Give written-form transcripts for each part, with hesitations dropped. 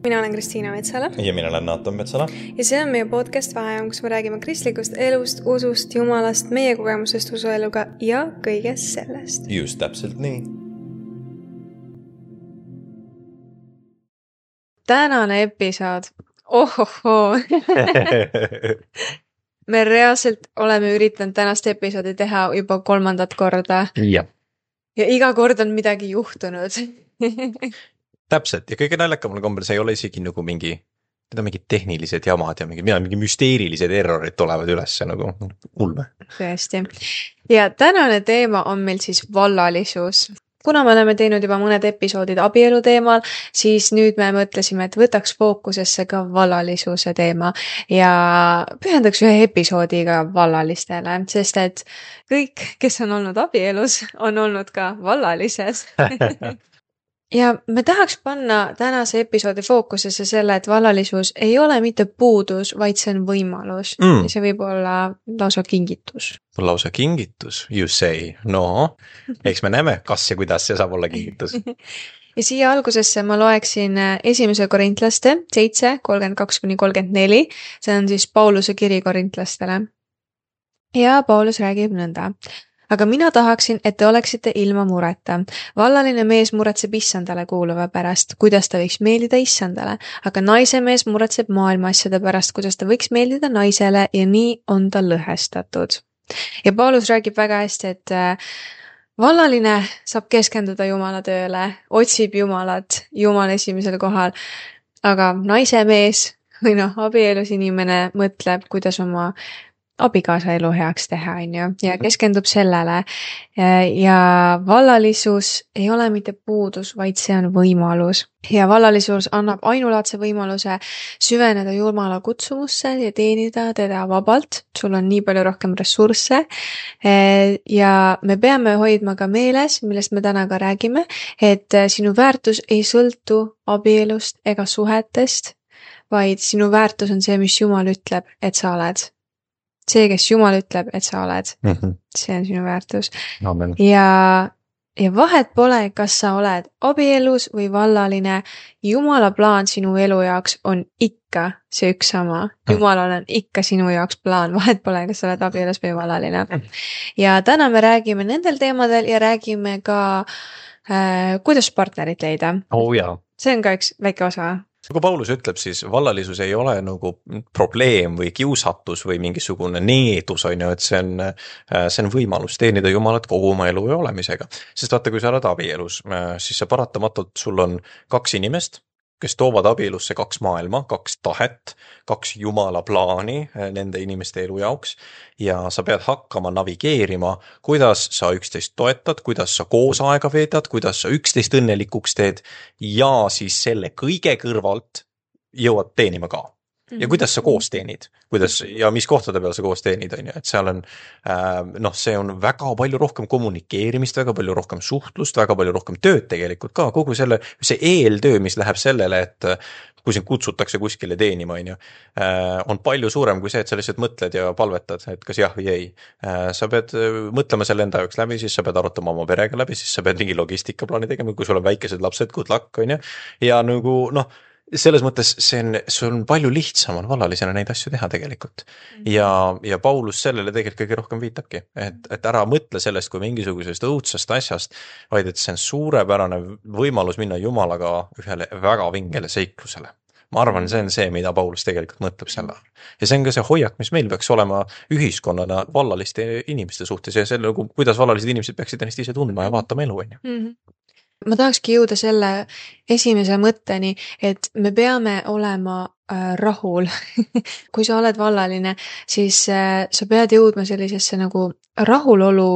Mina olen Kristiina Metsala. Ja mina olen Naatan Metsala. Ja see on meie podcast Vaheajam, kus me räägime kristlikust elust, usust, jumalast, meie kogemusest usueluga ja kõigest sellest. Just täpselt nii. Tänane episood. Ohohoo. Me reaalselt oleme üritanud tänast episoodi teha juba 3. korda. Ja iga kord on midagi juhtunud. Täpselt, ja kõige naljakamale kombel see ei ole isegi nagu mingid tehnilised jamad ja mingi müsteerilised errorid tulevad üles nagu ulme. Tõesti. Ja tänane teema on meil siis vallalisus. Kuna me oleme teinud juba mõned episoodid abielu teemal, siis nüüd me mõtlesime, et võtaks fookusesse ka vallalisuse teema ja pühendaks ühe episoodiga vallalistele, sest et kõik, kes on olnud abielus, on olnud ka vallalises. Ja me tahaks panna tänase episoodi fookusesse selle, et vallalisus ei ole mitte puudus, vaid see on võimalus. Ja see võib olla lausa kingitus. Lausa kingitus, you say. No, eks me näeme, kas ja kuidas see saab olla kingitus. Ja siia algusesse ma loeksin 1. Korintlaste 7, 32-34. See on siis Pauluse kiri korintlastele. Ja Paulus räägib nõnda. Aga mina tahaksin, et te oleksite ilma mureta. Vallaline mees muretseb issandale kuuluva pärast, kuidas ta võiks meeldida issandale, aga naise mees muretseb maailma asjade pärast, kuidas ta võiks meeldida naisele ja nii on ta lõhestatud. Ja Paulus räägib väga hästi, et vallaline saab keskenduda Jumala tööle, otsib Jumalat, Jumal esimesel kohal, aga naise mees või abielus inimene mõtleb, kuidas oma abikaasa elu heaks teha, ja keskendub sellele. Ja vallalisus ei ole mitte puudus, vaid see on võimalus. Ja vallalisus annab ainulaadse võimaluse süveneda Jumala kutsumusse ja teenida teda vabalt. Sul on nii palju rohkem ressursse. Ja me peame hoidma ka meeles, millest me täna ka räägime, et sinu väärtus ei sõltu abielust ega suhetest, vaid sinu väärtus on see, mis Jumal ütleb, et sa oled. See, kes Jumal ütleb, et sa oled. See on sinu väärtus. Amen. Ja vahet pole, kas sa oled abielus või vallaline. Jumala plaan sinu elu jaoks on ikka see üks sama. Jumalal on ikka sinu jaoks plaan. Vahet pole, kas sa oled abielus või vallaline. Ja täna me räägime nendel teemadel ja räägime ka, kuidas partnerit leida. Oh jaa. See on ka üks väike osa. Kui Paulus ütleb, siis vallalisus ei ole nagu probleem või kiusatus või mingisugune needus, et see on võimalus teenida Jumalat kogu oma elu ja olemisega. Sest vaata, kui sa oled abielus, siis sa paratamatult, sul on 2 inimest, kes toovad abielusse 2 maailma, 2 tahet, 2 Jumala plaani nende inimeste elu jaoks ja sa pead hakkama navigeerima, kuidas sa üksteist toetad, kuidas sa koos aega veedad, kuidas sa üksteist õnnelikuks teed ja siis selle kõige kõrvalt jõuad teenima ka. Ja kuidas sa koos teenid, ja mis kohtade peal sa koos teenid, et seal on, see on väga palju rohkem kommunikeerimist, väga palju rohkem suhtlust, väga palju rohkem tööd tegelikult ka, kogu see eeltöö, mis läheb sellele, et kui sind kutsutakse kuskile teenima, on palju suurem kui see, et sa lihtsalt mõtled ja palvetad, et kas jah või ei. Sa pead mõtlema selle enda jaoks läbi, siis sa pead arutama oma perega läbi, siis sa pead mingi logistikaplaani tegema, kui sul on väikesed lapsed, good luck, ja nagu, selles mõttes see on palju lihtsam on vallalisena neid asju teha tegelikult. Ja Paulus sellele tegelikult kõige rohkem viitabki, et ära mõtle sellest kui mingisugusest õudsest asjast, vaid et see on suurepärane võimalus minna Jumalaga ühele väga vingele seiklusele. Ma arvan, see on see, mida Paulus tegelikult mõtleb selle. Ja see on ka see hoiak, mis meil peaks olema ühiskonnana vallaliste inimeste suhtes ja selle, kuidas vallalised inimesed peaksid ennast ise tundma ja vaatama elu. Ma tahakski jõuda selle esimese mõtteni, et me peame olema rahul. Kui sa oled vallaline, siis sa pead jõudma sellisesse nagu rahulolu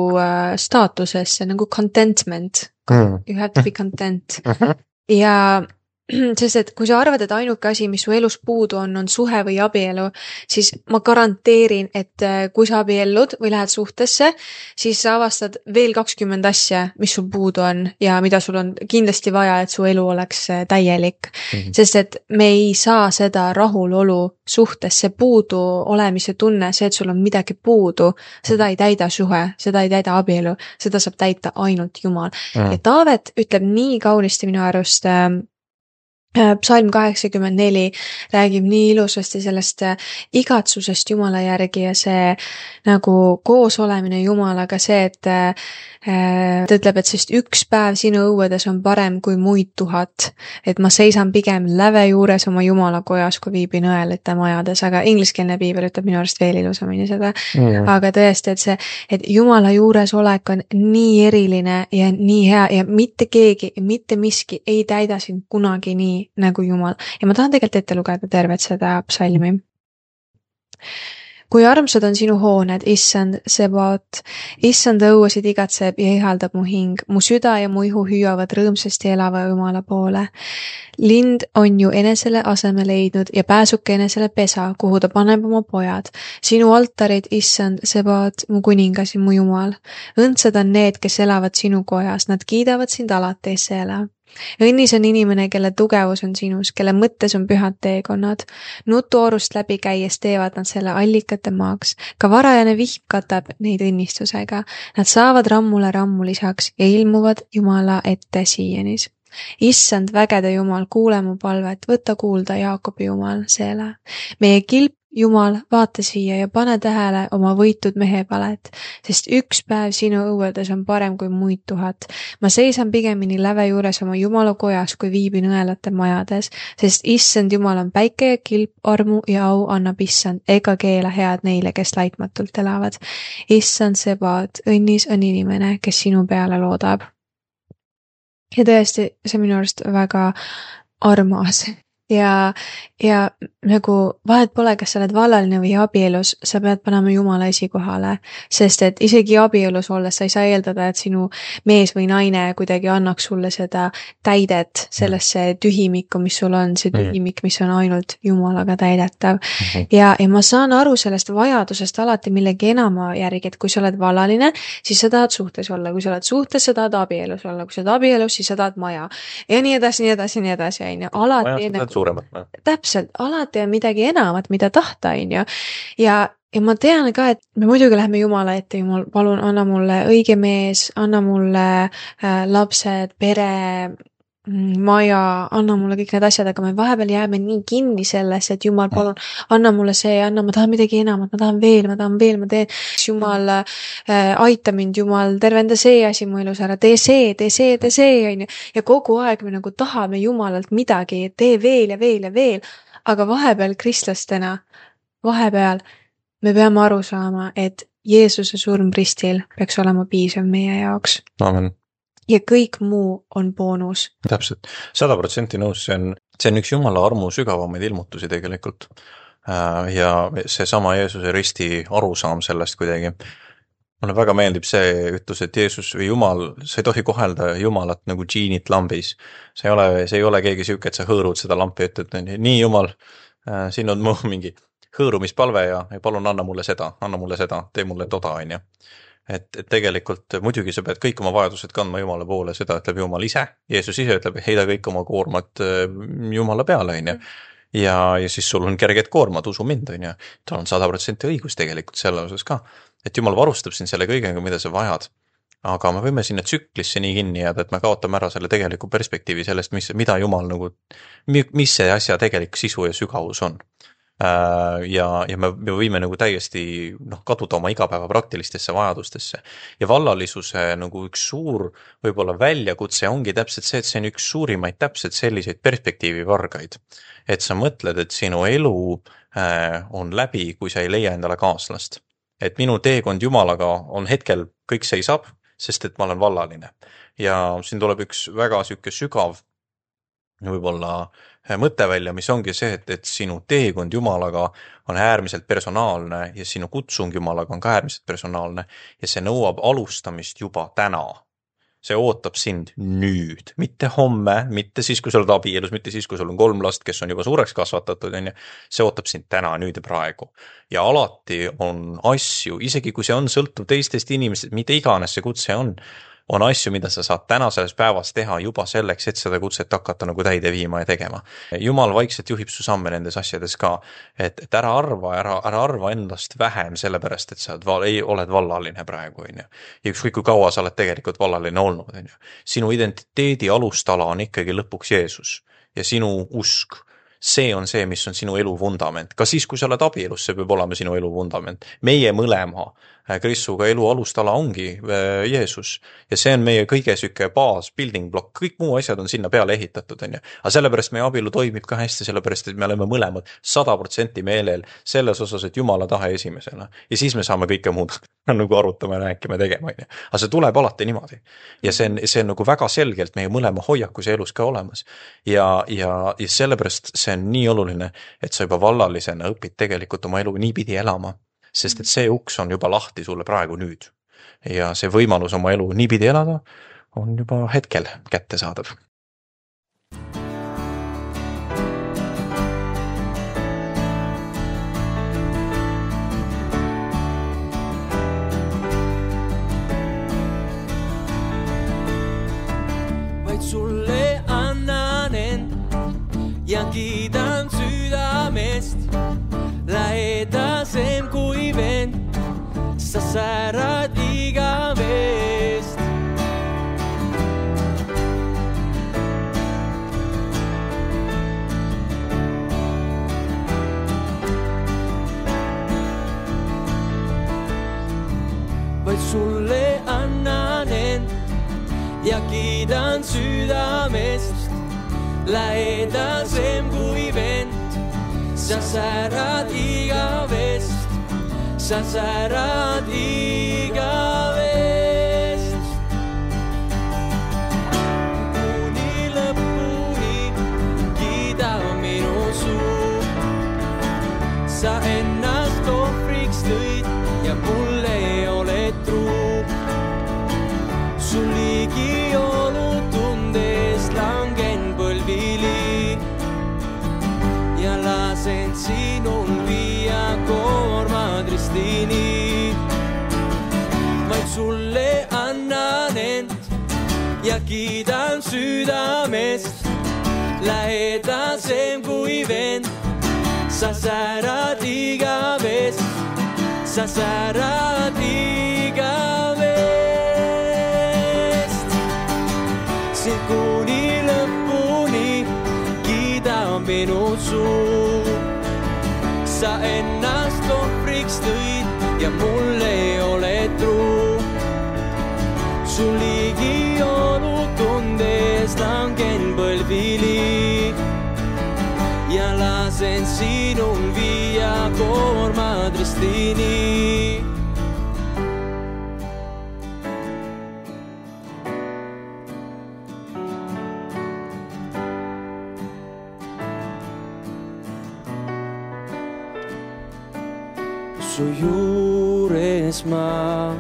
staatusesse, nagu contentment. You have to be content. Ja sest et kui sa arvad, et ainuke asi, mis su elus puudu on suhe või abielu, siis ma garanteerin, et kui sa abiellud või lähed suhtesse, siis sa avastad veel 20 asja, mis sul puudu on ja mida sul on kindlasti vaja, et su elu oleks täielik. Sest et me ei saa seda rahulolu suhtes, see puudu olemise tunne, see, et sul on midagi puudu, seda ei täida suhe, seda ei täida abielu, seda saab täita ainult Jumal. Ja Taavet ütleb nii kaunisti minu arust Psalm 84 räägib nii ilusasti sellest igatsusest Jumala järgi ja see nagu koosolemine Jumalaga, see, et ta ütleb, et sest üks päev sinu õuedes on parem kui muid 1000, et ma seisan pigem läve juures oma Jumala kojas, kui viibin õelate majades, aga ingliskeelne piibel ütleb minu arust veel ilusamini seda. Aga tõesti, et see, et Jumala juuresolek on nii eriline ja nii hea ja mitte keegi, mitte miski ei täida sind kunagi nii nagu Jumal. Ja ma tahan tegelikult ette lugeda tervet seda psalmi. Kui armsad on sinu hooned, issand Sebaot, issand õuesid igatseb ja ihaldab mu hing, mu süda ja mu ihu hüüavad rõõmsasti elava Jumala poole. Lind on ju enesele aseme leidnud ja pääsuke enesele pesa, kuhu ta paneb oma pojad. Sinu altarid, issand Sebaot, mu kuningas ja mu Jumal. Õndsad on need, kes elavad sinu kojas, nad kiidavad sind alati ela. Õnnis on inimene, kelle tugevus on sinus, kelle mõttes on pühad teekonnad. Nutuorust läbi käies teevad nad selle allikate maaks. Ka varajane vihm katab neid õnnistusega. Nad saavad rammule rammu lisaks ja ilmuvad Jumala ette siianis. Issand vägede Jumal, kuule mu palvet, võta kuulda Jaakobi Jumal, seele. Meie kilp Jumal, vaata siia ja pane tähele oma võitud mehe palet, sest üks päev sinu õuedes on parem kui muid 1000. Ma seisan pigemini läve juures oma Jumala kojas, kui viibin õelate majades, sest issand Jumal on päike ja kilp, armu ja au annab issand, ega keela head neile, kes laitmatult elavad. Issand Sebaot, õnnis on inimene, kes sinu peale loodab. Ja tõesti, see minu arust väga armas. Ja nagu vahet pole, kas sa oled vallaline või abielus, sa pead panema Jumala esikohale, sest et isegi abielus olles sa ei saa eeldada, et sinu mees või naine kuidagi annaks sulle seda täidet sellesse tühimikku, mis sul on, see tühimik, mis on ainult Jumalaga täidetav. Ja ma saan aru sellest vajadusest alati millegi enama järgi, et kui sa oled vallaline, siis sa tahad suhtes olla, kui sa oled suhtes, sa tahad abielus olla, kui sa oled abielus, siis sa tahad maja. Ja nii edasi, on ju. Alati suuremat. Täpselt, alati on midagi enamat, mida tahta, on ju. Ja ma tean ka, et me muidugi läheme Jumala ette, Jumal, palun, anna mulle õige mees, anna mulle lapsed, pere, maja, anna mulle kõik need asjad, aga me vahepeal jääme nii kinni selles, et Jumal, palun, anna mulle see, ma tahan midagi enamat, ma tahan veel, ma teen. Jumal, aita mind, Jumal, tervenda see asi mu elus ära, tee see, on ju. Ja kogu aeg me nagu tahame Jumalalt midagi, tee veel ja veel ja veel. Aga vahepeal kristlastena, me peame aru saama, et Jeesuse surm ristil peaks olema piisav meie jaoks. Amen. Ja kõik muu on boonus. Täpselt, 100% nõus, see on üks Jumala armu sügavamaid ilmutusi tegelikult. Ja see sama Jeesuse risti arusaam sellest kuidagi. Mulle väga meeldib see ütlus, et Jeesus või Jumal, sa ei tohi kohelda Jumalat nagu džiinit lambis. See ei ole keegi siuke, et sa hõõrud seda lampi, et nii Jumal, siin on mu mingi hõõrumispalve ja palun anna mulle seda, tee mulle toda, on ju. Et tegelikult muidugi sa pead kõik oma vajadused kandma Jumala poole, seda ütleb Jumal ise. Jeesus ise ütleb, heida kõik oma koormat Jumala peale, on ju. Ja siis sul on kerged koormad, usu mind, on ju. Tal on 100% õigus tegelikult selle osas ka. Et Jumal varustab sind selle kõigega, mida sa vajad. Aga me võime sinna tsüklisse nii kinni jääda, et me kaotame ära selle tegeliku perspektiivi sellest, mida Jumal nagu, mis see asja tegelik sisu ja sügavus on. Ja me võime nagu täiesti kaduda oma igapäeva praktilistesse vajadustesse. Ja vallalisuse nagu üks suur võib-olla väljakutse ongi täpselt see, et see on üks suurimaid täpselt selliseid perspektiivivargaid. Et sa mõtled, et sinu elu on läbi, kui sa ei leia endale kaaslast. Et minu teekond Jumalaga on hetkel kõik seisab, sest et ma olen vallaline. Ja siin tuleb üks väga süke sügav võib-olla mõte välja, mis ongi see, et sinu teekond Jumalaga on äärmiselt personaalne ja sinu kutsung Jumalaga on ka äärmiselt personaalne ja see nõuab alustamist juba täna. See ootab sind nüüd, mitte homme, mitte siis, kui sa oled abielus, mitte siis, kui sul on 3 last, kes on juba suureks kasvatatud, on ju. See ootab sind täna, nüüd ja praegu. Ja alati on asju, isegi kui see on sõltuv teistest inimestest, mida iganes see kutse on asju, mida sa saad täna selles päevas teha juba selleks, et seda kutset hakata nagu täide viima ja tegema. Jumal vaikselt juhib su samme nendes asjades ka, et ära arva endast vähem sellepärast, et sa oled vallaline praegu, on ju. Ja ükskõik kui kaua sa oled tegelikult vallaline olnud, on ju. Sinu identiteedi alustala on ikkagi lõpuks Jeesus. ja sinu usk. See on see, mis on sinu elu vundament. Ka siis, kui sa oled abielus, see peab olema sinu elu vundament. Meie mõlema Kristuga elu alustala ongi Jeesus ja see on meie kõige süke baas, building block, kõik muu asjad on sinna peale ehitatud, on ju. Aga sellepärast meie abielu toimib ka hästi, sellepärast et me oleme mõlemad 100% meelel selles osas, et Jumala tahe esimesena. Ja siis me saame kõike muud nagu arutama, rääkima, tegema, on ju. Aga see tuleb alati niimoodi. Ja see on nagu väga selgelt meie mõlema hoiakus ja elus ka olemas. Ja sellepärast see on nii oluline, et sa juba vallalisena õpid tegelikult oma elu niipidi elama. Sest et see uks on juba lahti sulle praegu nüüd. Ja see võimalus oma elu niipidi elada on juba hetkel kätte saadav. Vaid sulle annan end ja kiidan südamest. Lähedasem kui vend, sa särad igavest. Vaid sulle annan end ja kiidan südamest. Lähedasem kui vend, sa särad igavest, sa särad igavest. Kuni lõpuni kiida minu suu, sa ennast ohvriks tõid ja mulle oled truu. Sul ligi olnud tundes langen põlvili ja lasen sinul viia koormad ristini. Vaid sulle annan end ja kiidan südamest. Lähedasem kui vend, sa särad igavest, sa särad igavest. Sind kuni lõpuni kiida minu suu. Sa ennast ohvriks tõid ja mulle oled truu. Sul ligi olnud tundes langen põlvili ja lasen sinul viia koormad ristini. Su juures ma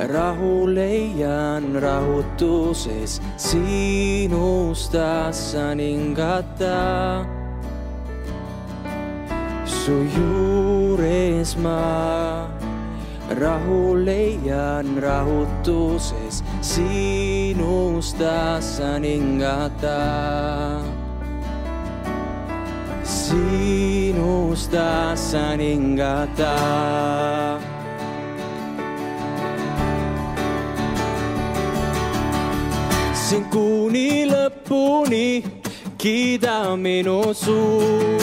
rahu leian rahutuses, sinust tasan hingata. Su juures ma rahu leian rahutuses, sinust tasan hingata. Sinust tasan hingata. Sind kuni lõpuni kiida minu suu.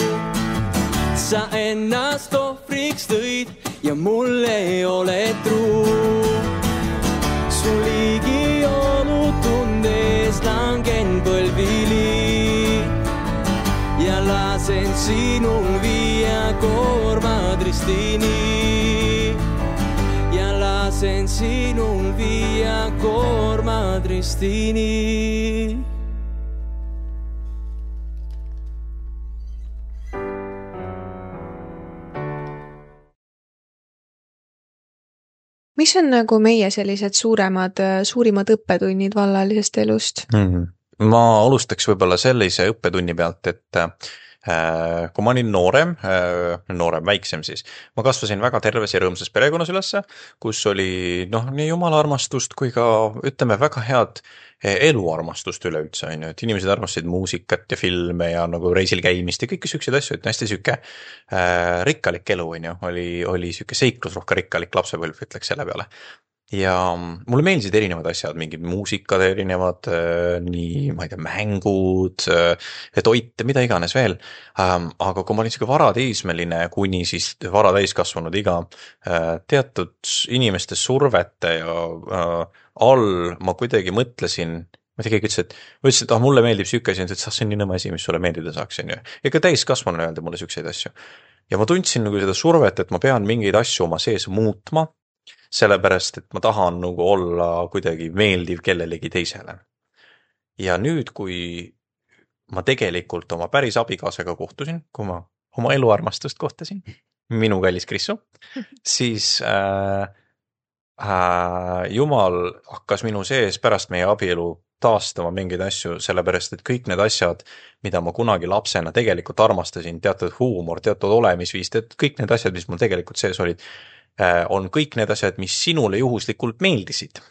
Sa ennast ohvriks tõid ja mulle oled truu. Sul ligi olnud tundes langen põlvili ja lasen sinul viia koormad ristini. Ja lasen sinul viia koormad ristini. Mis on nagu meie sellised suurimad õppetunnid vallalisest elust? Ma alustaks võib-olla sellise õppetunni pealt, et kui ma olin noorem, väiksem siis, ma kasvasin väga terves ja rõõmsas perekonnas ülesse, kus oli nii jumala armastust kui ka ütleme väga head eluarmastust üleüldse, on ju, et inimesed armastasid muusikat ja filme ja nagu reisil käimist ja kõiki sükseid asju, et hästi süke rikkalik elu, on ju, oli süke seiklusrohke rikkalik lapsepõlv, ütleks selle peale. ja mulle meeldisid erinevad asjad, mingid muusikad erinevad, nii, ma ei tea, mängud, toit ja mida iganes veel. Aga kui ma olin siuke varateismeline kuni siis varatäiskasvanud iga, teatud inimeste survete ja all ma kuidagi mõtlesin, ma ei tea, keegi ütles, et mulle meeldib siuke asi, et see on nii nõme asi, mis sulle meeldida saaks, on ju. Ja ka täiskasvanu öelda mulle siukseid asju. Ja ma tundsin nagu seda survet, et ma pean mingeid asju oma sees muutma, sellepärast, et ma tahan nagu olla kuidagi meeldiv kellelegi teisele. Ja nüüd, kui ma tegelikult oma päris abikaasaga kohtusin, kui ma oma eluarmastust kohtasin, minu kallis Krissu, siis Jumal hakkas minu sees pärast meie abielu taastama mingeid asju, sellepärast, et kõik need asjad, mida ma kunagi lapsena tegelikult armastasin, teatud huumor, teatud olemisviis, kõik need asjad, mis mul tegelikult sees olid, on kõik need asjad, mis sinule juhuslikult meeldisid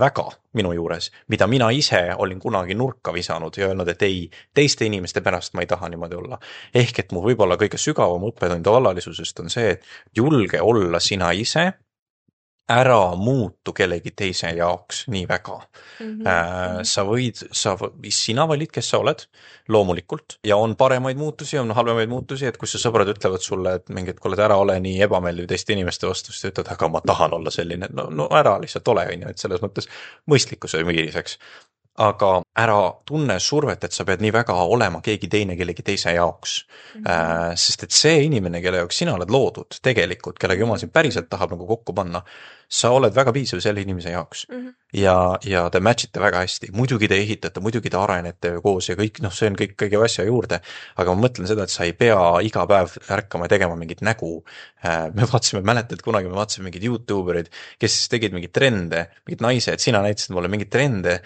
väga minu juures, mida mina ise olin kunagi nurka visanud ja öelnud, et ei, teiste inimeste pärast ma ei taha niimoodi olla. Ehk et mu võib-olla kõige sügavam õppetund vallalisusest on see, et julge olla sina ise, ära muutu kellegi teise jaoks nii väga. Sina valid, kes sa oled, loomulikult, ja on paremaid muutusi, on halvemaid muutusi, et kui su sõbrad ütlevad sulle, et mingid, kui oled ära ole nii ebameeldiv teiste inimeste vastu, siis ütled, aga ma tahan olla selline, no ära lihtsalt ole, et selles mõttes mõistlikkuse miiriseks. Aga ära tunne survet, et sa pead nii väga olema keegi teine kellegi teise jaoks. Sest et see inimene, kelle jaoks sina oled loodud tegelikult, kellega Jumal sind päriselt tahab nagu kokku panna, sa oled väga piisav selle inimese jaoks. Ja te matchite väga hästi. Muidugi te ehitate, muidugi te arenete koos ja kõik, see on kõik kõige asja juurde. Aga ma mõtlen seda, et sa ei pea iga päev ärkama ja tegema mingit nägu. Me vaatasime, mäletad, kunagi me vaatasime mingid YouTuberid, kes tegid mingid trende, mingid naised, sina näitasid mulle mingid trende.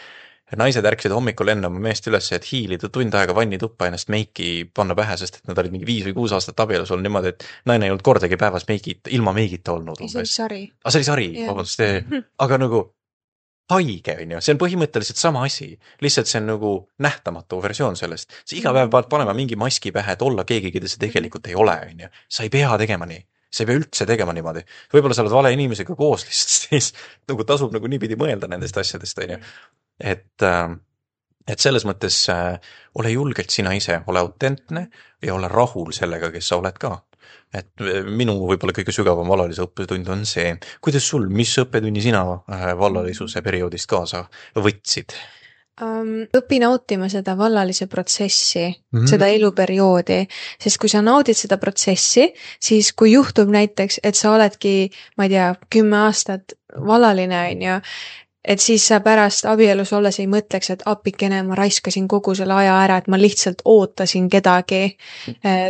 Naised ärksid hommikul enne oma meest üles, et hiilida tund aega vannituppa ennast meiki panna pähe, sest et nad olid mingi 5 või 6 aastat abielus olnud niimoodi, et naine ei olnud kordagi päevas ilma meigita olnud. See oli sari. See oli sari, vabandust. Aga nagu haige, on ju, see on põhimõtteliselt sama asi. Lihtsalt see on nagu nähtamatu versioon sellest. Sa iga päev pead panema mingi maski pähe, et olla keegi, keda see tegelikult ei ole, on ju. Sa ei pea tegema nii. Sa ei pea üldse tegema niimoodi. Võib-olla sa oled vale inimesega koos, siis nagu tasub nagu niipidi mõelda nendest asjadest, on ju. Et selles mõttes ole julgelt sina ise, ole autentne ja ole rahul sellega, kes sa oled ka. Et minu võib-olla kõige sügavam vallalise õppetund on see, kuidas sul, mis õppetunni sina vallalisuse perioodist kaasa võtsid? Õpi nautima seda vallalise protsessi, seda eluperioodi, sest kui sa naudid seda protsessi, siis kui juhtub näiteks, et sa oledki, ma ei tea, 10 aastat vallaline, on ju, et siis sa pärast abielus olles ei mõtleks, et appikene, ma raiskasin kogu selle aja ära, et ma lihtsalt ootasin kedagi,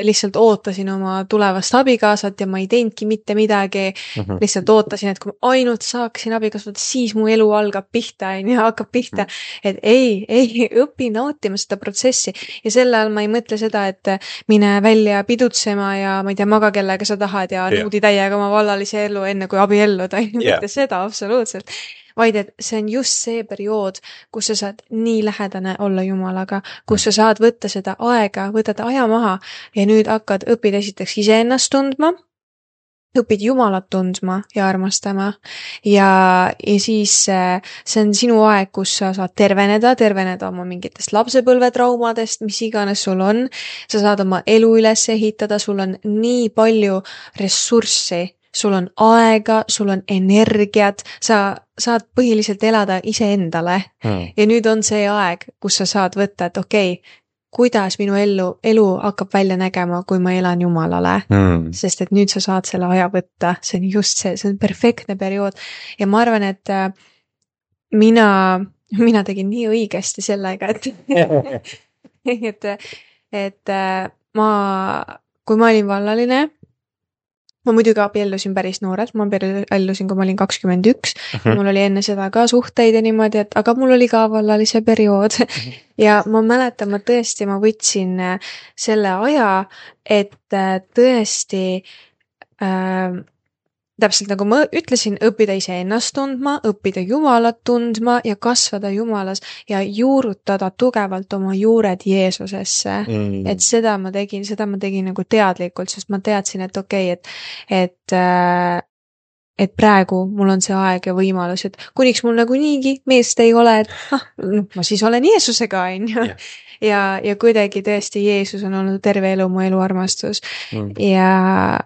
lihtsalt ootasin oma tulevast abikaasat ja ma ei teinudki mitte midagi, lihtsalt ootasin, et kui ma ainult saaksin abikaasat, siis mu elu hakkab pihta, et ei, õpi nautima seda protsessi ja selle all ma ei mõtle seda, et mine välja pidutsema ja ma ei tea, maga kellega sa tahad ja nuudi täiega oma vallalise elu enne kui abielluda, mitte seda absoluutselt. Vaid et see on just see periood, kus sa saad nii lähedane olla Jumalaga, kus sa saad võtta seda aega, võtad aja maha ja nüüd õpid esiteks iseennast tundma, õpid Jumalat tundma ja armastama ja siis see on sinu aeg, kus sa saad terveneda oma mingitest lapsepõlvetraumadest, mis iganes sul on, sa saad oma elu üles ehitada, sul on nii palju ressurssi, sul on aega, sul on energiat, sa saad põhiliselt elada iseendale ja nüüd on see aeg, kus sa saad võtta, et okei, kuidas minu elu hakkab välja nägema, kui ma elan Jumalale, sest et nüüd sa saad selle aja võtta, see on just see on perfektne periood ja ma arvan, et mina tegin nii õigesti sellega, et kui ma olin vallaline, ma muidugi abiellusin päris noorelt, ma abiellusin, kui ma olin 21, mul oli enne seda ka suhteid ja niimoodi, aga mul oli ka vallalise periood ja ma mäletan, ma võtsin selle aja, et tõesti täpselt nagu ma ütlesin, õppida iseennast tundma, õppida Jumalat tundma ja kasvada Jumalas ja juurutada tugevalt oma juured Jeesusesse. Et seda ma tegin nagu teadlikult, sest ma teadsin, et okei, et et praegu mul on see aeg ja võimalus, et kuniks mul nagu niigi meest ei ole, et ma siis olen Jeesusega, on ju. Ja kuidagi tõesti Jeesus on olnud terve elu mu eluarmastus. Ja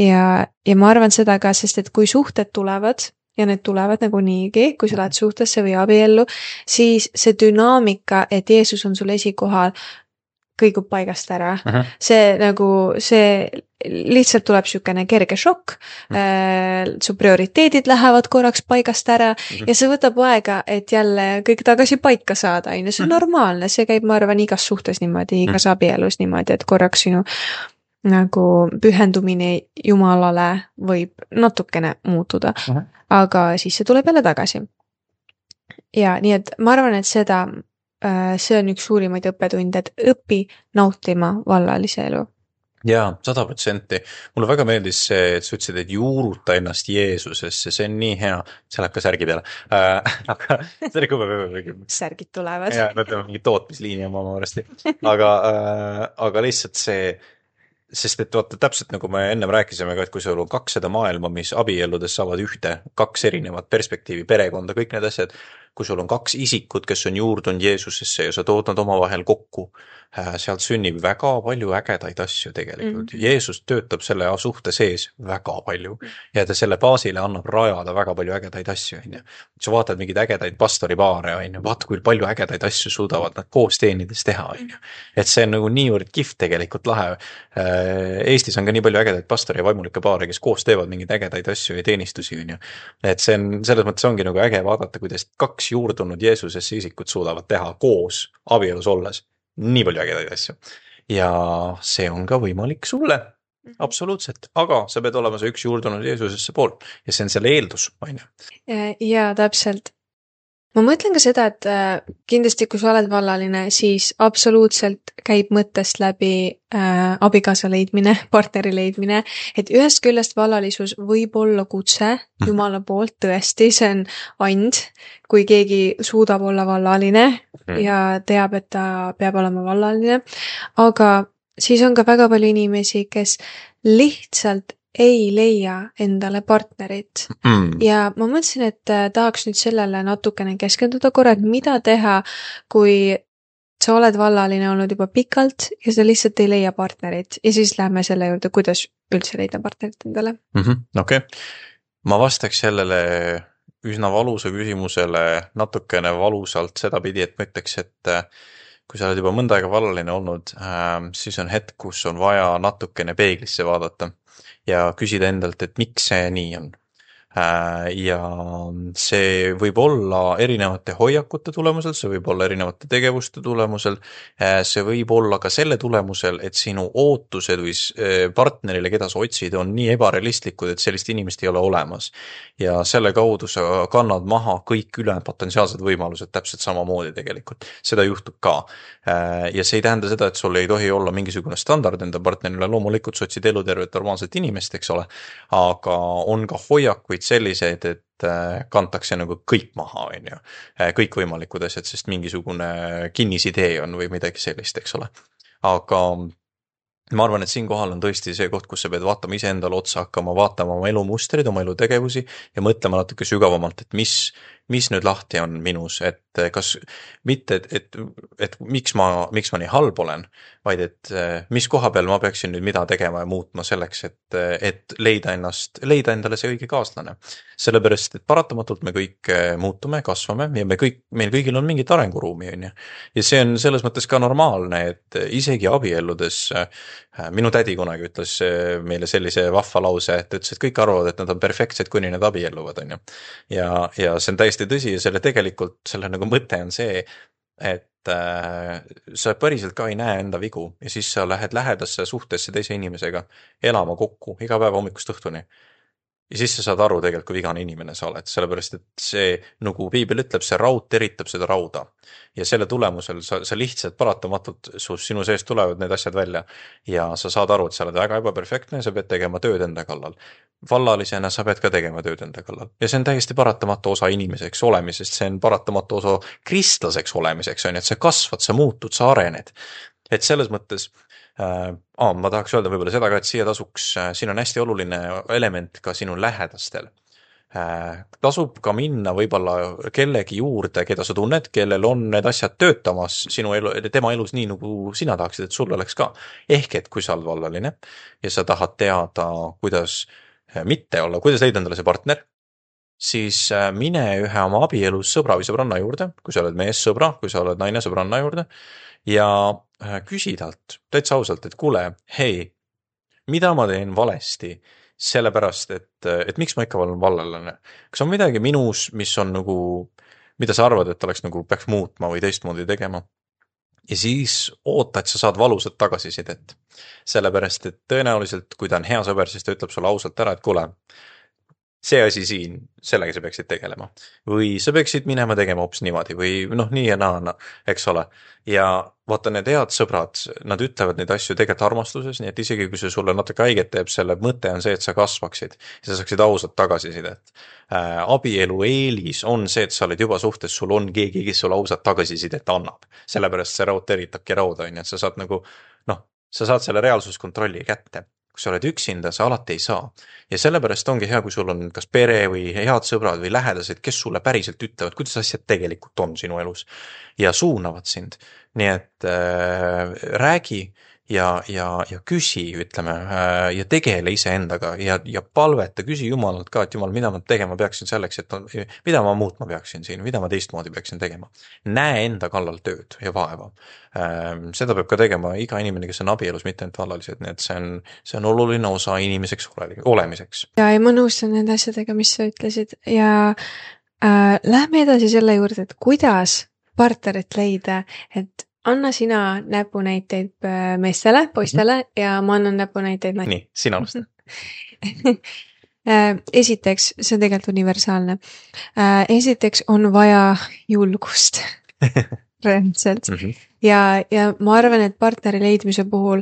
ma arvan seda ka, sest et kui suhted tulevad, ja need tulevad nagu niigi, kui sa lähed suhtesse või abiellu, siis see dünaamika, et Jeesus on sul esikohal, kõigub paigast ära. See lihtsalt tuleb sükene kerge šokk, su prioriteedid lähevad korraks paigast ära ja see võtab aega, et jälle kõik tagasi paika saada. See on normaalne, see käib, ma arvan, igas suhtes niimoodi, igas abielus niimoodi, et korraks sinu nagu pühendumine Jumalale võib natukene muutuda, aga siis see tuleb jälle tagasi. Ja nii, et ma arvan, et see on üks suurimaid õppetunde, et õpi nautima vallalise elu. Jaa, 100%. Mulle väga meeldis see, et sa ütlesid, et juuruta ennast Jeesusesse, see on nii hea. See läheb ka särgi peale. Aga see oli kui särgid tulevad. Jaa, nad on mingi tootmisliini oma varasti. Aga lihtsalt see, sest et vaata täpselt nagu me ennem rääkisime ka, et kui sul on 2 maailma, mis abielludes saavad 2 erinevat perspektiivi, perekonda, kõik need asjad, kui sul on 2 isikut, kes on juurdunud Jeesusesse ja sa tood nad omavahel kokku, sealt sünnib väga palju ägedaid asju tegelikult. Jeesus töötab selle suhte sees väga palju ja ta selle baasile annab rajada väga palju ägedaid asju. Sa vaatad mingid ägedaid pastoripaare, vaata kui palju ägedaid asju suudavad nad koos teenides teha. Et see on nagu niivõrd kihvt tegelikult lahe. Eestis on ka nii palju ägedaid pastori ja vaimulikke paare, kes koos teevad mingeid ägedaid asju ja teenistusi. Et see on, selles mõttes ongi nagu äge vaadata, kuidas 2 juurdunud Jeesusesse isikut suudavad teha koos abielus olles nii palju ägedaid asju. Ja see on ka võimalik sulle. Absoluutselt. Aga sa pead olema see 1 juurdunud Jeesusesse pool. Ja see on selle eeldus. Ja täpselt. Ma mõtlen ka seda, et kindlasti kui sa oled vallaline, siis absoluutselt käib mõttest läbi abikaasa leidmine, partneri leidmine, et ühest küljest vallalisus võib olla kutse Jumala poolt, tõesti, see on and, kui keegi suudab olla vallaline ja teab, et ta peab olema vallaline, aga siis on ka väga palju inimesi, kes lihtsalt ei leia endale partnerit. Ja ma mõtlesin, et tahaks nüüd sellele natukene keskenduda korra, et mida teha, kui sa oled vallaline olnud juba pikalt ja sa lihtsalt ei leia partnerit. Ja siis lähme selle juurde, kuidas üldse leida partnerit endale. Okei. Ma vastaks sellele üsna valusa küsimusele natukene valusalt sedapidi, et ma ütleks, et kui sa oled juba mõnda aega vallaline olnud, siis on hetk, kus on vaja natukene peeglisse vaadata ja küsida endalt, et miks see nii on. Ja see võib olla erinevate hoiakute tulemusel, see võib olla erinevate tegevuste tulemusel, see võib olla ka selle tulemusel, et sinu ootused või partnerile, keda sa otsid, on nii ebarealistlikud, et sellist inimest ei ole olemas. Ja selle kaudu sa kannad maha kõik ülejäänud potentsiaalsed võimalused täpselt samamoodi tegelikult. Seda juhtub ka. Ja see ei tähenda seda, et sul ei tohi olla mingisugune standard enda partnerile, loomulikult sa otsid elutervet normaalset inimest, eks ole, aga on ka hoiakuid selliseid, et kantakse nagu kõik maha, kõik võimalikud asjad, sest mingisugune kinnisidee on või midagi sellist, eks ole. Aga ma arvan, et siinkohal on tõesti see koht, kus sa pead vaatama iseendale otsa, hakkama vaatama oma elumustrid, oma elutegevusi ja mõtlema natuke sügavamalt, et mis nüüd lahti on minus, et kas mitte, et miks ma nii halb olen, vaid et mis koha peal ma peaksin nüüd mida tegema ja muutma selleks, et leida endale see õige kaaslane. Sellepärast, et paratamatult me kõik muutume, kasvame ja meil kõigil on mingit arenguruumi. Ja see on selles mõttes ka normaalne, et isegi abielludes minu tädi kunagi ütles meile sellise vahva lause, et ütles, et kõik arvavad, et nad on perfektsed, kuni nad abielluvad. Ja see on täiesti tõsi ja selle nagu mõte on see, et sa päriselt ka ei näe enda vigu ja siis sa lähed lähedasse suhtesse teise inimesega elama kokku iga päev hommikust õhtuni. Ja siis sa saad aru tegelikult, kui vigane inimene sa oled, sellepärast, et see, nagu piibel ütleb, see raud teritab seda rauda. Ja selle tulemusel sa lihtsalt paratamatult sinu sees tulevad need asjad välja ja sa saad aru, et sa oled väga ebaperfektne ja sa pead tegema tööd enda kallal. Vallalisena sa pead ka tegema tööd enda kallal. Ja see on täiesti paratamatu osa inimeseks olemisest, see on paratamatu osa kristlaseks olemiseks, et sa kasvad, sa muutud, sa arened. Et selles mõttes ma tahaks öelda võib-olla seda ka, et siin on hästi oluline element ka sinu lähedastel. tasub ka minna võib-olla kellegi juurde, keda sa tunned, kellel on need asjad töötamas sinu elu, tema elus nii, nagu sina tahaksid, et sul oleks ka. Ehk et kui sa oled vallaline ja sa tahad teada, kuidas mitte olla, kuidas leida endale see partner, siis mine ühe oma abielus sõbra või sõbranna juurde, kui sa oled mees sõbra, kui sa oled naine sõbranna juurde ja küsi talt täitsa ausalt, et kuule, hei, mida ma teen valesti, sellepärast, et miks ma ikka olen vallalane. Kas on midagi minus, mis on nagu, mida sa arvad, et oleks nagu peaks muutma või teistmoodi tegema? Ja siis oota, et sa saad valusat tagasisidet. Sellepärast, et tõenäoliselt, kui ta on hea sõber, siis ta ütleb sulle ausalt ära, et kuule, see asi siin, sellega sa peaksid tegelema. Või sa peaksid minema tegema hoopis niimoodi või noh, nii ja naa, eks ole. Ja vaata, need head sõbrad, nad ütlevad neid asju tegelikult armastuses, nii et isegi kui see sulle natuke haiget teeb, selle mõte on see, et sa kasvaksid ja sa saaksid ausalt tagasisidet. Abielu eelis on see, et sa oled juba suhtes, sul on keegi, kes sulle ausalt tagasisidet annab. Sellepärast see raud teritabki rauda, et sa saad nagu, noh, sa saad selle reaalsuskontrolli kätte. Kui sa oled üksinda, sa alati ei saa. Ja sellepärast ongi hea, kui sul on kas pere või head sõbrad või lähedased, kes sulle päriselt ütlevad, kuidas asjad tegelikult on sinu elus ja suunavad sind. Nii et räägi ja küsi, ütleme, ja tegele iseendaga ja palveta, küsi Jumalalt ka, et Jumal, mida ma tegema peaksin selleks, et mida ma muutma peaksin siin, mida ma teistmoodi peaksin tegema. Näe enda kallal tööd ja vaeva. Seda peab ka tegema iga inimene, kes on abielus, mitte ainult vallalised, nii et see on oluline osa inimeseks olemiseks. Ja ma nõustan nende asjadega, mis sa ütlesid ja lähme edasi selle juurde, et kuidas partnerit leida, et anna sina näpunäiteid meestele, poistele ja ma annan näpunäiteid naistele. Nii, sina alusta. Esiteks, see on tegelikult universaalne. Esiteks on vaja julgust. Reaalselt. Ja ma arvan, et partneri leidmise puhul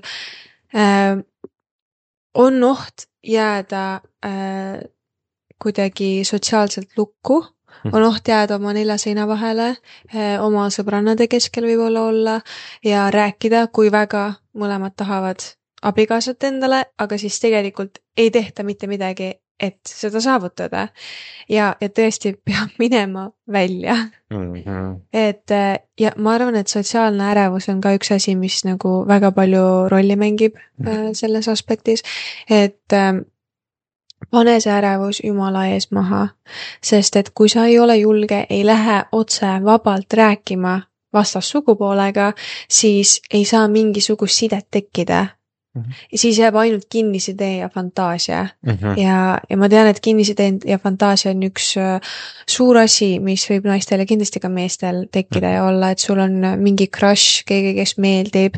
on oht jääda kuidagi sotsiaalselt lukku, on oht jääda oma 4 seina vahele, oma sõbrannade keskel võib-olla olla ja rääkida, kui väga mõlemad tahavad abikaasat endale, aga siis tegelikult ei tehta mitte midagi, et seda saavutada. Ja tõesti peab minema välja. Et, ja ma arvan, et sotsiaalne ärevus on ka üks asi, mis nagu väga palju rolli mängib selles aspektis, et pane see ärevus Jumala ees maha, sest et kui sa ei ole julge, ei lähe otse vabalt rääkima vastassugupoolega, siis ei saa mingisugust sidet tekkida. Ja siis jääb ainult kinnisidee ja fantaasia. Ja ma tean, et kinnisidee ja fantaasia on üks suur asi, mis võib naistel ja kindlasti ka meestel tekkida ja olla, et sul on mingi crush, keegi, kes meeldib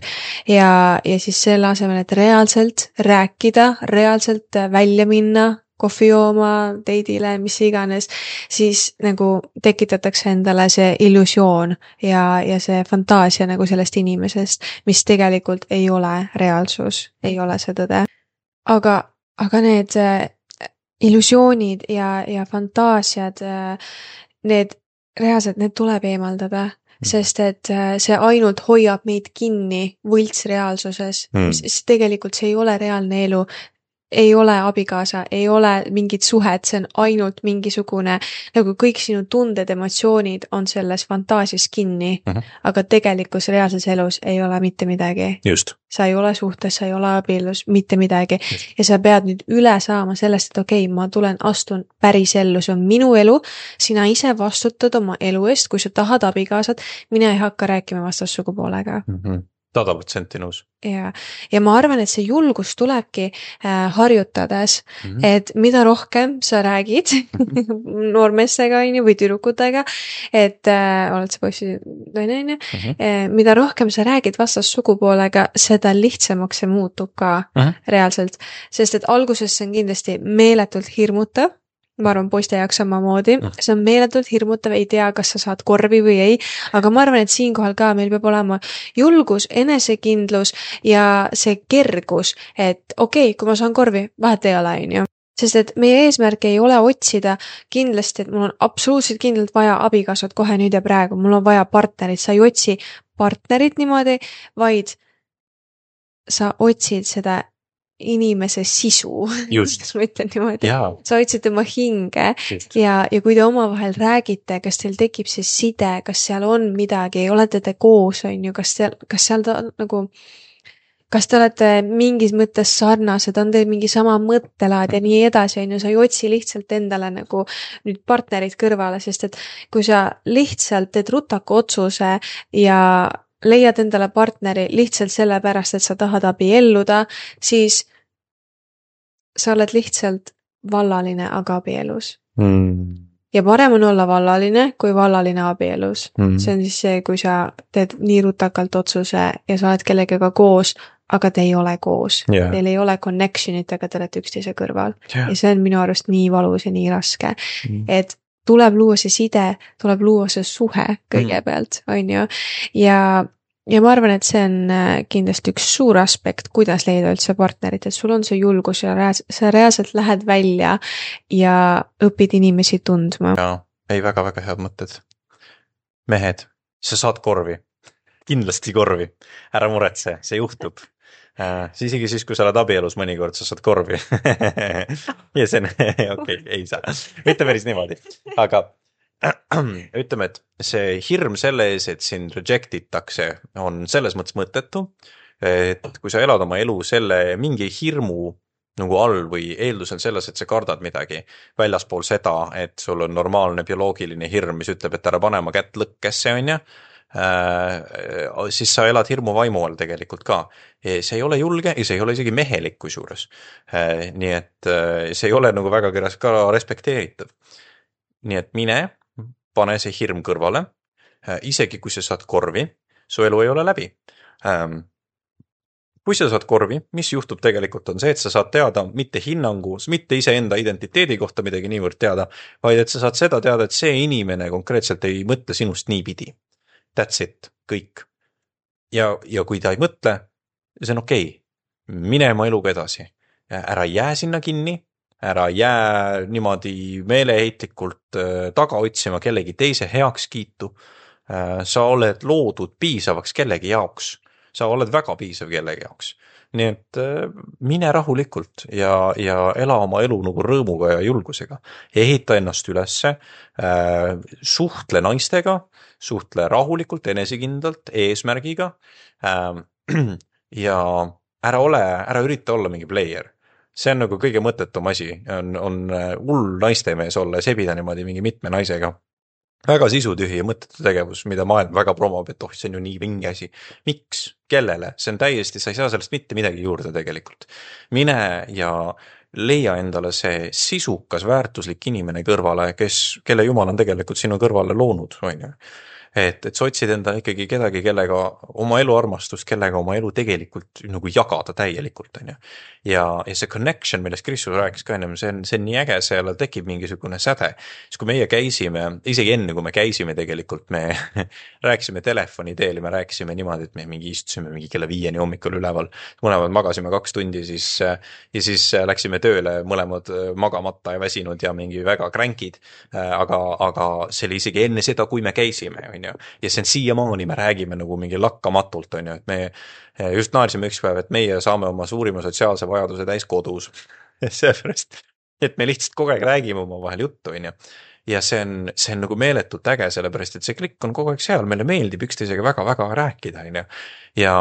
ja siis selle asemel, et reaalselt rääkida, reaalselt välja minna, kohvi jooma, teidile, mis iganes, siis nagu tekitatakse endale see illusioon ja see fantaasia nagu sellest inimesest, mis tegelikult ei ole reaalsus, ei ole see tõde. Aga need illusioonid ja fantaasiad, need reaalselt, need tuleb eemaldada, sest et see ainult hoiab meid kinni võltsreaalsuses, sest tegelikult see ei ole reaalne elu, ei ole abikaasa, ei ole mingit suhet, see on ainult mingisugune, nagu kõik sinu tunded, emotsioonid on selles fantaasias kinni, aga tegelikus reaalses elus ei ole mitte midagi. Just. Sa ei ole suhtes, sa ei ole abielus, mitte midagi. Just. Ja sa pead nüüd üle saama sellest, et okei, ma astun päris ellu, see on minu elu, sina ise vastutad oma elu eest, kui sa tahad abikaasat, mina ei hakka rääkima vastassugupoolega. 100% nõus. Ja ma arvan, et see julgus tulebki harjutades, et mida rohkem sa räägid noormeestega või tüdrukutega, et oled sa poissi naine, mida rohkem sa räägid vastassugupoolega, seda lihtsamaks see muutub ka reaalselt, sest et alguses see on kindlasti meeletult hirmutav. Ma arvan, poiste jaoks samamoodi. See on meeletult hirmutav, ei tea, kas sa saad korvi või ei, aga ma arvan, et siinkohal ka meil peab olema julgus, enesekindlus ja see kergus, et okei, kui ma saan korvi, vahet ei ole, on ju. Sest et meie eesmärk ei ole otsida kindlasti, et mul on absoluutselt kindlalt vaja abikaasat kohe nüüd ja praegu, mul on vaja partnerit, sa ei otsi partnerit niimoodi, vaid sa otsid seda inimese sisu, Just. ma ütlen niimoodi. Jaa. Sa hoidsid tema hinge Just. ja kui te omavahel räägite, kas teil tekib see side, kas seal on midagi, olete te koos, on ju, kas seal ta nagu, kas te olete mingis mõttes sarnased, on teil mingi sama mõttelaad ja nii edasi, on ju, sa ei otsi lihtsalt endale nagu nüüd partnerid kõrvale, sest et kui sa lihtsalt teed rutaku otsuse ja leiad endale partneri lihtsalt sellepärast, et sa tahad abielluda, siis sa oled lihtsalt vallaline, aga abielus. Ja parem on olla vallaline, kui vallaline abielus. See on siis see, kui sa teed nii rutakalt otsuse ja sa oled kellegagi koos, aga te ei ole koos. Yeah. Teil ei ole connectionit, aga te olete üksteise kõrval. Yeah. Ja see on minu arust nii valus ja nii raske. Et tuleb luua see side, tuleb luua see suhe kõigepealt, on ju. Ja ma arvan, et see on kindlasti üks suur aspekt, kuidas leida üldse partnerit, et sul on see julgus ja sa reaalselt lähed välja ja õpid inimesi tundma. Jaa, ei väga head mõtted. Mehed, sa saad korvi. Kindlasti korvi. Ära muretse, see juhtub. Isegi siis, kui sa oled abielus mõnikord, sa saad korvi. Ja see on, okei, ei saa. Mitte päris niimoodi. Aga ütleme, et see hirm selle ees, et sind reject itakse, on selles mõttes mõttetu, et kui sa elad oma elu selle mingi hirmu nagu all või eeldusel selles, et sa kardad midagi väljaspool seda, et sul on normaalne bioloogiline hirm, mis ütleb, et ära pane oma kätt lõkkesse, on ju, siis sa elad hirmu vaimu all tegelikult ka. See ei ole julge ja see ei ole isegi mehelik kusjuures. Nii et see ei ole nagu väga ka respekteeritav. Nii et mine, pane see hirm kõrvale, isegi kui sa saad korvi, su elu ei ole läbi. Kui sa saad korvi, mis juhtub tegelikult on see, et sa saad teada mitte hinnangu, mitte iseenda identiteedi kohta midagi niivõrd teada, vaid et sa saad seda teada, et see inimene konkreetselt ei mõtle sinust niipidi. That's it, kõik. Ja kui ta ei mõtle, see on okei. Mine oma eluga edasi. Ära jää sinna kinni, ära jää niimoodi meeleheitlikult taga otsima kellegi teise heakskiitu. Sa oled loodud piisavaks kellegi jaoks. Sa oled väga piisav kellegi jaoks. Nii et mine rahulikult ja ela oma elu nagu rõõmuga ja julgusega. Ehita ennast ülesse, suhtle naistega, suhtle rahulikult, enesekindlalt, eesmärgiga ja ära ürita olla mingi player. See on nagu kõige mõttetum asi, on hull naistemees olla ja sebida niimoodi mingi mitme naisega. Väga sisutühi ja mõttetu tegevus, mida maailm väga promob, et see on ju nii vinge asi. Miks? Kellele? See on täiesti, sa ei saa sellest mitte midagi juurde tegelikult. Mine ja leia endale see sisukas, väärtuslik inimene kõrvale, kelle Jumal on tegelikult sinu kõrvale loonud, on ju. Et sa otsid endale ikkagi kedagi, kellega oma elu armastust, kellega oma elu tegelikult nagu jagada täielikult, on ju. Ja see connection, millest Kristus rääkis ka ennem, see on nii äge, seal tekib mingisugune säde. Siis kui meie käisime, isegi enne kui me käisime tegelikult, me rääkisime telefoni teel ja me rääkisime niimoodi, et me mingi istusime mingi kella 5 hommikul üleval, mõlemad magasime 2 tundi ja siis läksime tööle mõlemad magamata ja väsinud ja mingi väga kränkid, aga see oli isegi enne seda, kui me käisime, on ju. Ja see on siiamaani, me räägime nagu mingi lakkamatult, on ju, et me just naersime üks päev, et meie saame oma suurima sotsiaalse vajaduse täis kodus. Seepärast, et me lihtsalt kogu aeg räägime oma vahel juttu, on ju. Ja see on nagu meeletult äge, sellepärast, et see klikk on kogu aeg seal, meile meeldib üksteisega väga-väga rääkida, on ju. Ja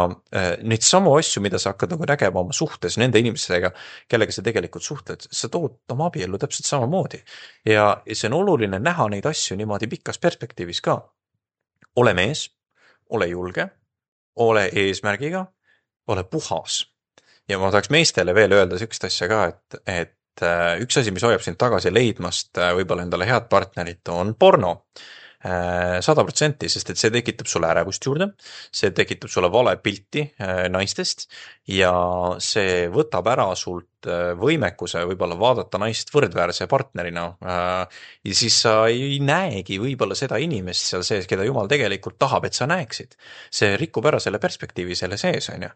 neid samu asju, mida sa hakkad nagu nägema oma suhtes nende inimestega, kellega sa tegelikult suhtled, sa tood oma abiellu täpselt samamoodi. Ja see on oluline näha neid asju niimoodi pikas perspektiivis ka. Ole mees, ole julge, ole eesmärgiga, ole puhas. Ja ma tahaks meestele veel öelda sükst asja ka, et üks asi, mis hoiab sind tagasi leidmast võib-olla endale head partnerit, on porno. 100%, sest et see tekitab sulle ärevust juurde, see tekitab sulle vale pilti naistest ja see võtab ära sult võimekuse võib-olla vaadata naist võrdväärse partnerina ja siis sa ei näegi võib-olla seda inimest seal sees, keda Jumal tegelikult tahab, et sa näeksid. See rikub ära selle perspektiivi selle sees, on ju.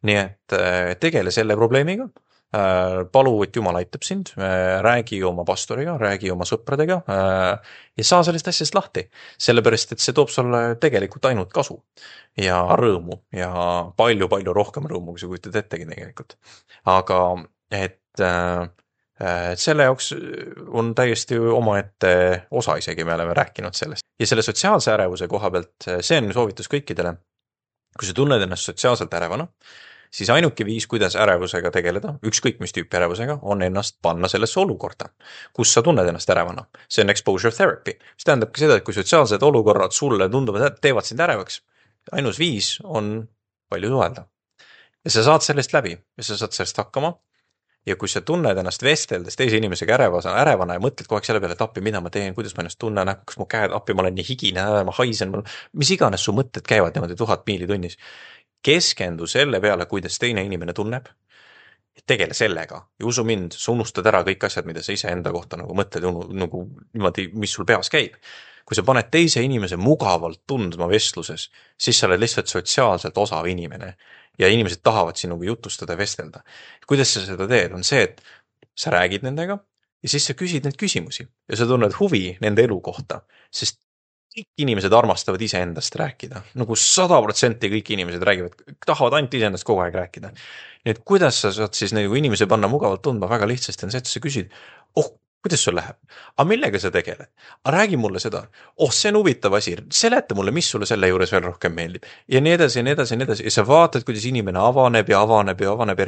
Nii et tegele selle probleemiga, palu, et Jumal aitab sind, räägi oma pastoriga, räägi oma sõpradega ja saa sellest asjast lahti. Sellepärast, et see toob sulle tegelikult ainult kasu ja rõõmu ja palju-palju rohkem rõõmu, kui sa kujutad ettegi tegelikult. Aga et selle jaoks on täiesti omaette osa isegi, me oleme rääkinud sellest. Ja selle sotsiaalse ärevuse koha pealt, see on soovitus kõikidele. Kui sa tunned ennast sotsiaalselt ärevana, siis ainuke viis, kuidas ärevusega tegeleda, ükskõik mis tüüpi ärevusega, on ennast panna sellesse olukorda, kus sa tunned ennast ärevana. See on exposure therapy. See tähendabki seda, et kui sotsiaalsed olukorrad sulle tunduvad, et teevad sind ärevaks, ainus viis on palju suhelda. Ja sa saad sellest läbi ja sa saad sellest hakkama. Ja kui sa tunned ennast vesteldes teise inimesega ärevana ja mõtled kogu aeg selle peale, et appi, mida ma teen, kuidas ma ennast tunnen, kas mu käed, appi, ma olen nii higine, ma haisen, mis iganes su mõtted käivad niimoodi 1000 miili tunnis. Keskendu selle peale, kuidas teine inimene tunneb, tegele sellega ja usu mind, sa unustad ära kõik asjad, mida sa ise enda kohta nagu mõtled, nagu niimoodi, mis sul peas käib. Kui sa paned teise inimese mugavalt tundma vestluses, siis sa oled lihtsalt sotsiaalselt osav inimene ja inimesed tahavad sinuga jutustada ja vestelda. Kuidas sa seda teed? On see, et sa räägid nendega ja siis sa küsid neid küsimusi ja sa tunned huvi nende elu kohta, sest kõik inimesed armastavad ise endast rääkida. Nagu 100% kõik inimesed räägivad, tahavad ainult ise endast kogu aeg rääkida. Nii et kuidas sa saad siis nagu inimese panna mugavalt tundma väga lihtsasti on see, et sa küsid, kuidas sul läheb? Aga millega sa tegeled? Aga räägi mulle seda. See on huvitav asi. Seleta mulle, mis sulle selle juures veel rohkem meeldib. Ja nii edasi, ja nii edasi, ja nii edasi. Ja sa vaatad, kuidas inimene avaneb ja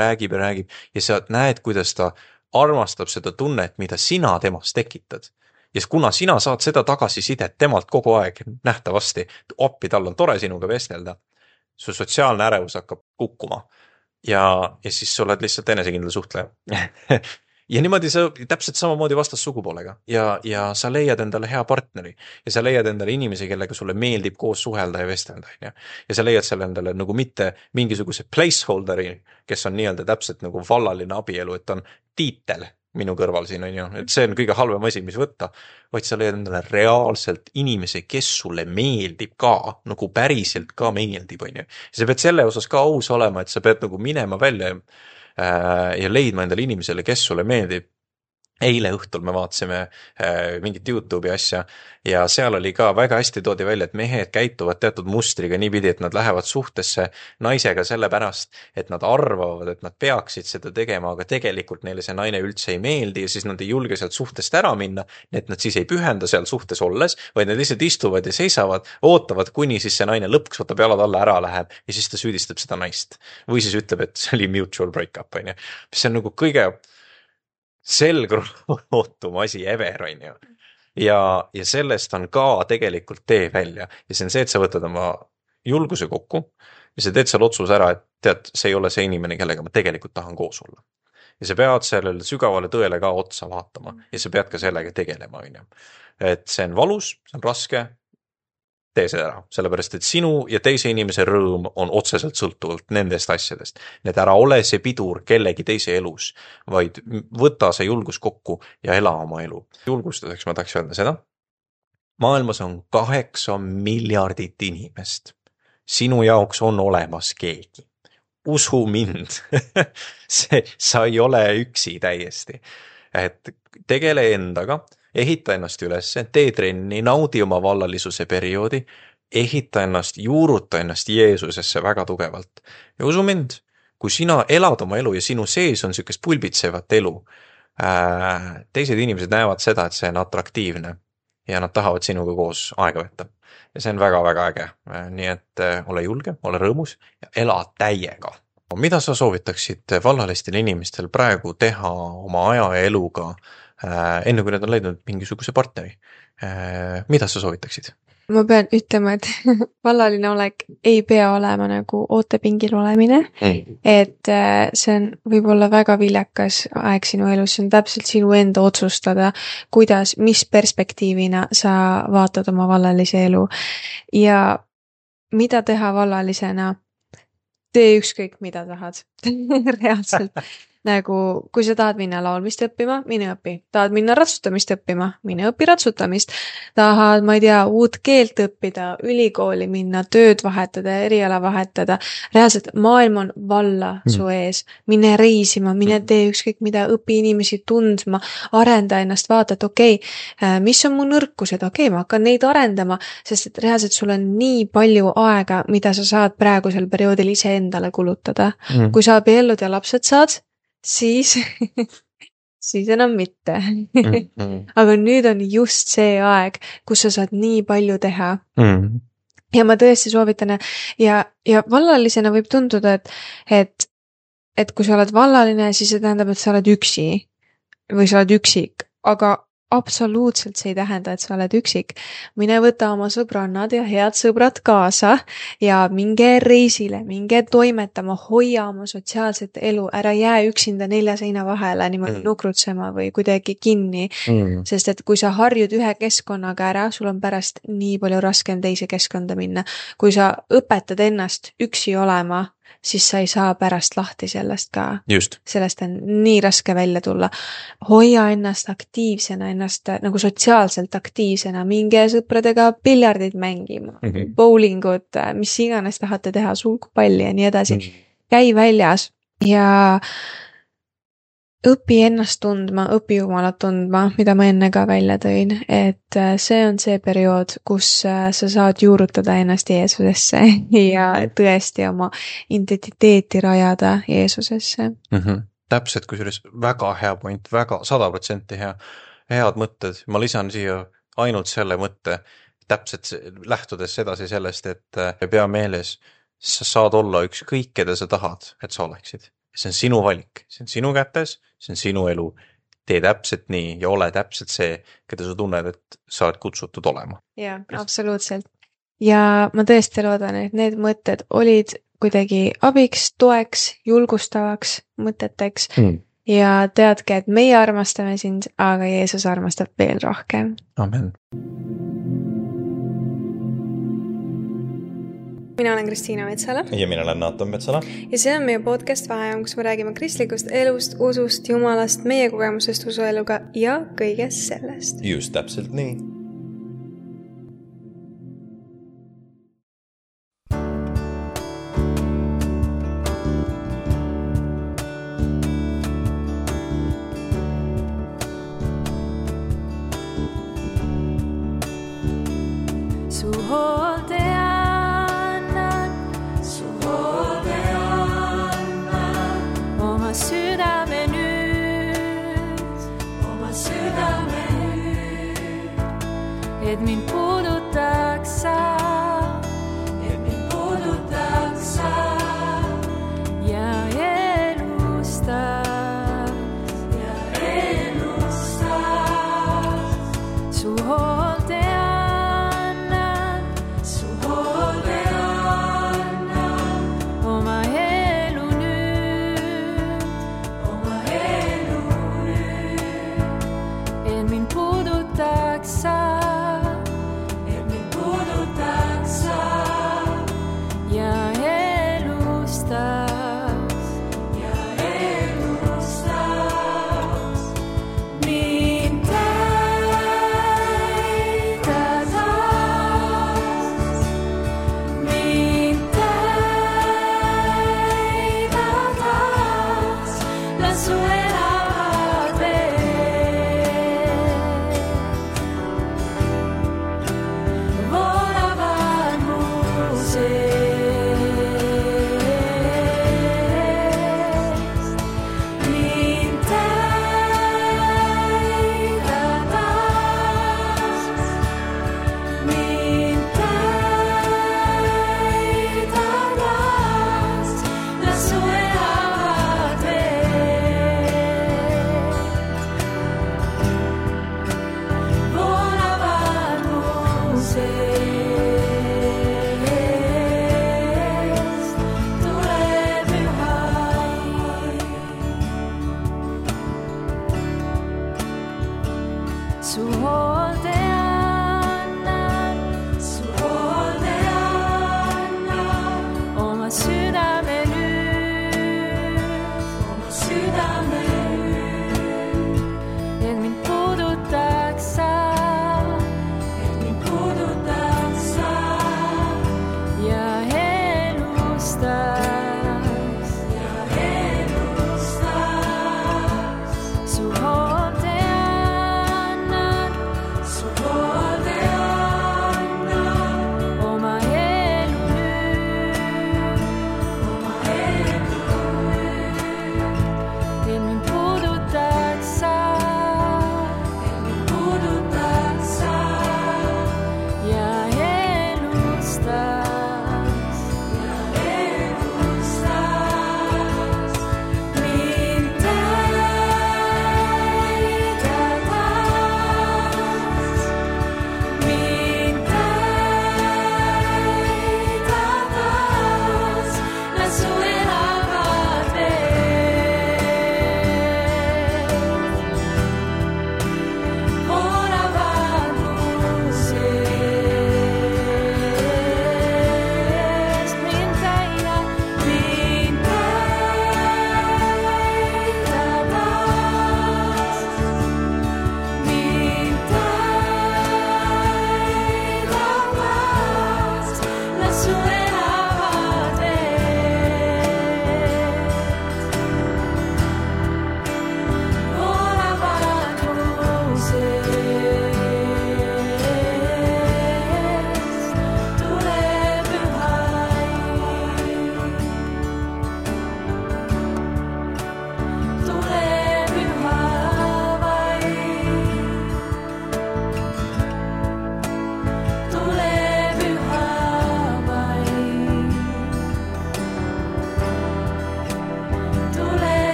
räägib ja sa näed, kuidas ta armastab seda tunnet, mida sina temast tekitad. Ja kuna sina saad seda tagasisidet temalt kogu aeg nähtavasti, appi tal on tore sinuga vestelda, su sotsiaalne ärevus hakkab kukkuma ja siis sa oled lihtsalt enesekindel suhtleja. Ja niimoodi sa täpselt samamoodi vastas sugupoolega ja sa leiad endale hea partneri ja sa leiad endale inimesi, kellega sulle meeldib koos suhelda ja vestelda. Ja sa leiad selle endale nagu mitte mingisuguse placeholderi, kes on nii-öelda täpselt nagu vallaline abielu, et on tiitel minu kõrval siin on ju, et see on kõige halvem asi, mis võtta, vaid sa leiad endale reaalselt inimese, kes sulle meeldib ka, nagu päriselt ka meeldib, on ju. Ja sa pead selle osas ka aus olema, et sa pead nagu minema välja ja leidma endale inimesele, kes sulle meeldib. Eile õhtul me vaatasime mingit YouTube'i asja ja seal oli ka väga hästi toodi välja, et mehed käituvad teatud mustriga niipidi, et nad lähevad suhtesse naisega selle pärast, et nad arvavad, et nad peaksid seda tegema, aga tegelikult neile see naine üldse ei meeldi ja siis nad ei julge sealt suhtest ära minna, et nad siis ei pühenda seal suhtes olles, vaid nad lihtsalt istuvad ja seisavad, ootavad, kuni siis see naine lõpuks võtab jalad alla ära läheb ja siis ta süüdistab seda naist. Või siis ütleb, et see oli mutual breakup, on ju. See on nagu kõige selgrootum asi ever, on ju. Ja sellest on ka tegelikult tee välja. Ja see on see, et sa võtad oma julguse kokku ja sa teed seal otsus ära, et tead, see ei ole see inimene, kellega ma tegelikult tahan koos olla. Ja sa pead sellele sügavale tõele ka otsa vaatama ja sa pead ka sellega tegelema, on ju. Et see on valus, see on raske, tee seda ära, sellepärast et sinu ja teise inimese rõõm on otseselt sõltuvalt nendest asjadest. Need ära ole see pidur kellegi teise elus, vaid võta see julgus kokku ja ela oma elu. Julgustuseks ma tahaks öelda seda. Maailmas on 8 miljardit inimest. Sinu jaoks on olemas keegi. Usu mind. Sa ei ole üksi täiesti. Et tegele endaga. Ehita ennast üles, tee trenni, naudi oma vallalisuse perioodi, ehita ennast, juuruta ennast Jeesusesse väga tugevalt. Ja usu mind, kui sina elad oma elu ja sinu sees on sükest pulbitsevat elu, teised inimesed näevad seda, et see on atraktiivne ja nad tahavad sinuga koos aega võtta. Ja see on väga-väga äge. Nii et ole julge, ole rõõmus ja ela täiega. Mida sa soovitaksid vallalistele inimestel praegu teha oma aja ja eluga enne kui nad on leidnud mingisuguse partneri? Mida sa soovitaksid? Ma pean ütlema, et vallaline olek ei pea olema nagu ootepingil olemine, et see on võib-olla väga viljakas aeg sinu elus, see on täpselt sinu enda otsustada, kuidas, mis perspektiivina sa vaatad oma vallalise elu ja mida teha vallalisena, tee ükskõik mida tahad, reaalselt. nagu kui sa tahad minna laulmist õppima, mine õpi. Tahad minna ratsutamist õppima, mine õpi ratsutamist. Tahad, ma ei tea, uut keelt õppida, ülikooli minna, tööd vahetada, eriala vahetada. Reaalselt maailm on valla su ees. Mine reisima, mine tee ükskõik mida, õpi inimesi tundma, arenda ennast, vaata, et okei, mis on mu nõrkused, okei, ma hakkan neid arendama, sest et reaalselt sul on nii palju aega, mida sa saad praegusel perioodil ise endale kulutada. Kui sa abiellud ja lapsed saad, siis siis enam mitte. Aga nüüd on just see aeg, kus sa saad nii palju teha. Ja ma tõesti soovitan ja vallalisena võib tunduda, et kui sa oled vallaline, siis see tähendab, et sa oled üksi või sa oled üksik, aga absoluutselt see ei tähenda, et sa oled üksik. Mine võta oma sõbrannad ja head sõbrad kaasa ja minge reisile, minge toimetama, hoia oma sotsiaalset elu, ära jää üksinda 4 seina vahele niimoodi nukrutsema või kuidagi kinni, sest et kui sa harjud ühe keskkonnaga ära, sul on pärast nii palju raskem teise keskkonda minna. Kui sa õpetad ennast üksi olema, siis sa ei saa pärast lahti sellest ka. Just. Sellest on nii raske välja tulla. Hoia ennast aktiivsena, ennast nagu sotsiaalselt aktiivsena, minge sõpradega piljardid mängima, bowlingut, mis iganes tahate teha, sulgpalli ja nii edasi. Käi väljas ja õpi ennast tundma, õpi Jumalat tundma, mida ma enne ka välja tõin, et see on see periood, kus sa saad juurutada ennast Jeesusesse ja tõesti oma identiteeti rajada Jeesusesse. Täpselt, kusjuures väga hea point, väga 100% head mõtted. Ma lisan siia ainult selle mõtte, täpselt lähtudes edasi sellest, et pea meeles, sa saad olla ükskõik, keda sa tahad, et sa oleksid. See on sinu valik, see on sinu kätes, see on sinu elu. Tee täpselt nii ja ole täpselt see, keda sa tunned, et sa oled kutsutud olema. Jaa, absoluutselt. Ja ma tõesti loodan, et need mõtted olid kuidagi abiks, toeks, julgustavaks mõteteks ja teadke, et meie armastame sind, aga Jeesus armastab veel rohkem. Amen. Mina olen Kristiina Metsala. Ja mina olen Naatan Metsala. Ja see on meie podcast Vaheajam, kus me räägime kristlikust elust, usust, Jumalast, meie kogemusest usueluga ja kõigest sellest. Just täpselt nii.